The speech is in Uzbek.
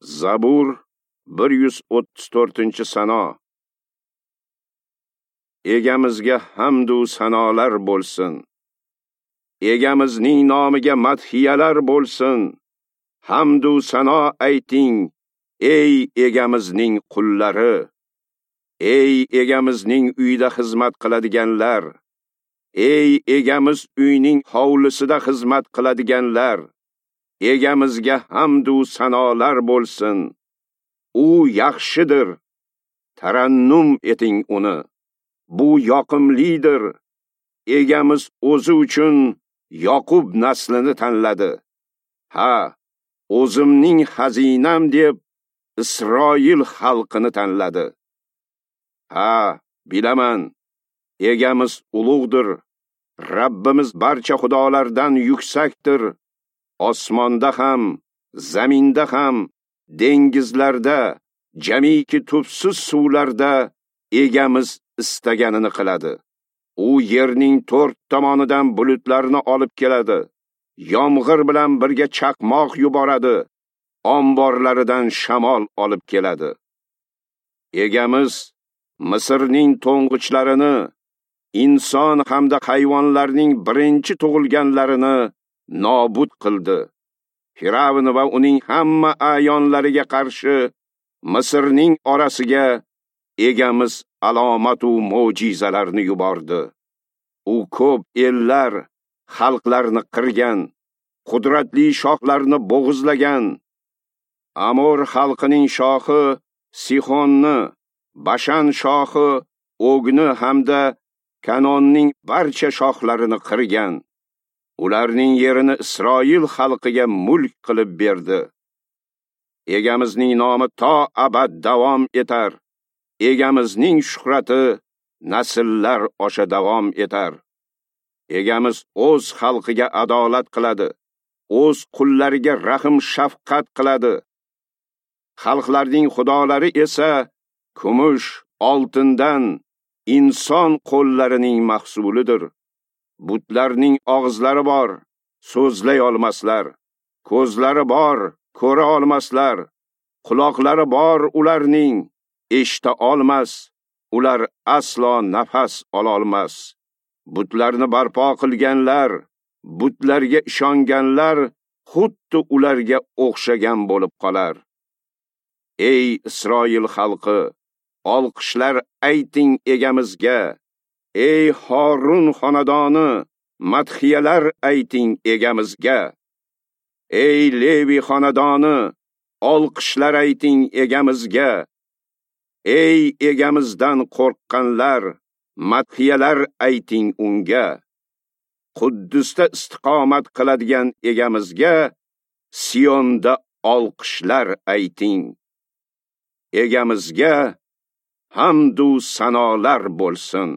Zabur 134-sano. Egamizga hamd u sanolar bo'lsin. Egamizning nomiga madhiyalar bo'lsin. Hamd u sano ayting, ey egamizning qullari. Ey egamizning uyida xizmat qiladiganlar. Ey egamiz uyning hovlisida xizmat qiladiganlar. Egamizga hamd u sanolar bo'lsin. U yaxshidir. Tarannum eting uni. Bu yoqimlidir. Egamiz o'zi uchun Yoqub naslini tanladi. Ha, o'zimning xazinam deb Isroil xalqini tanladi. Ha, bilaman, egamiz ulug'dir. Rabbimiz barcha xudolardan yuksakdir. Osmonda ham, zaminda ham, dengizlarda, jamiki tubsiz suvlarda egamiz istaganini qiladi. U yerning to'rt tomonidan bulutlarni olib keladi. Yomg'ir bilan birga chaqmoq yuboradi. Omborlaridan shamol olib keladi. Egamiz Misrning to'ng'ichlarini, inson hamda hayvonlarning birinchi tug'ilganlarini nobud qildi. Firavn va uning hamma a'yonlariga qarshi Misrning orasiga egamiz alomat u mo'jizalarni yubordi. U ko'p ellar, xalqlarni qirgan, qudratli shohlarni bo'g'izlagan. Amor xalqining shohi Sihonni, Bashan shohi Ogni hamda Kanonning barcha shohlarini qirgan. Ularning yerini Isroil xalqiga mulk qilib berdi. Egamizning nomi to abad davom etar. Egamizning shuhrati nasllar osha davom etar. Egamiz o'z xalqiga adolat qiladi, o'z qullariga rahm shafqat qiladi. Xalqlarning xudolari esa kumush, oltindan inson qo'llarining mahsulidir. Butlarning og'izlari bor, so'zlay olmaslar. Ko'zlari bor, ko'ra olmaslar. Quloqlari bor ularning, eshita olmas. Ular aslo nafas ola olmas. Butlarni barpo qilganlar, butlarga ishonganlar xuddi ularga o'xshagan bo'lib qolar. Ey Isroil xalqi, olqishlar ayting egamizga. Ey Horun xonadoni, madhiyalar ayting egamizga. Ey Levi xonadoni, olqishlar ayting egamizga. Ey egamizdan qo'rqqanlar, madhiyalar ayting unga. Quddusda istiqomat qiladigan egamizga Siyonda olqishlar ayting. Egamizga hamd u sanolar bo'lsin.